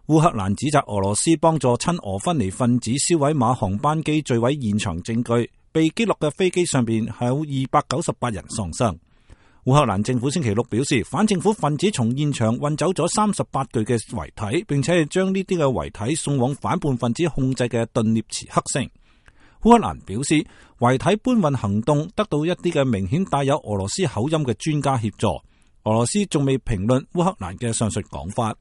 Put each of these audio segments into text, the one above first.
烏克蘭指責俄羅斯幫助親俄分離分子銷毀馬航班機墜毀現場證據，被擊落嘅飛機上邊係有298人喪生。烏克蘭政府星期六表示，反政府分子從現場運走咗38具嘅遺體，並且係將呢啲嘅遺體送往反叛分子控制嘅頓涅茨克城。烏克蘭表示，遺體搬運行動得到一啲嘅明顯帶有俄羅斯口音嘅專家協助。俄羅斯仲未評論烏克蘭嘅上述講法。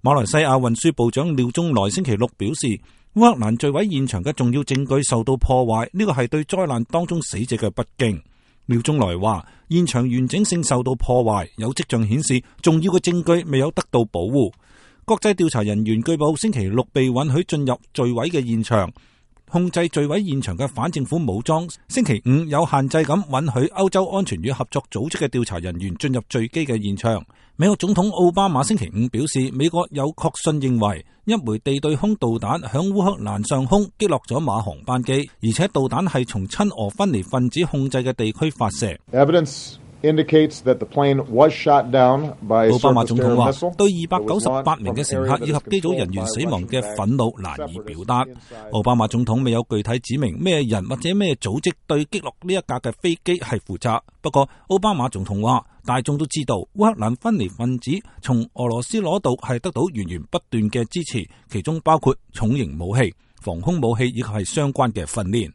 馬來西亞運輸部長廖中來星期六表示，烏克蘭墜毀現場嘅重要證據受到破壞，呢個係對災難當中死者嘅不敬。廖中來話，現場完整性受到破壞，有跡象顯示重要嘅證據未有得到保護。國際調查人員據報星期六被允許進入墜毀嘅現場。控制墜毀現場嘅反政府武裝星期五有限制咁允許歐洲安全與合作組織嘅調查人員進入墜機嘅現場。美國總統奧巴馬星期五表示，美國有確信認為一枚地對空導彈響烏克蘭上空擊落咗馬航班機，而且導彈係從親俄分離分子控制嘅地區發射。奧巴馬總統話，對298名嘅乘客以及機組人員死亡嘅憤怒難以表達。奧巴馬總統未有具體指明咩人或者咩組織對擊落呢一架嘅飛機係負責。不過，奧巴馬總統話，大眾都知道烏克蘭分離分子從俄羅斯攞到係得到源源不斷嘅支持，其中包括重型武器、防空武器以及係相關嘅訓練。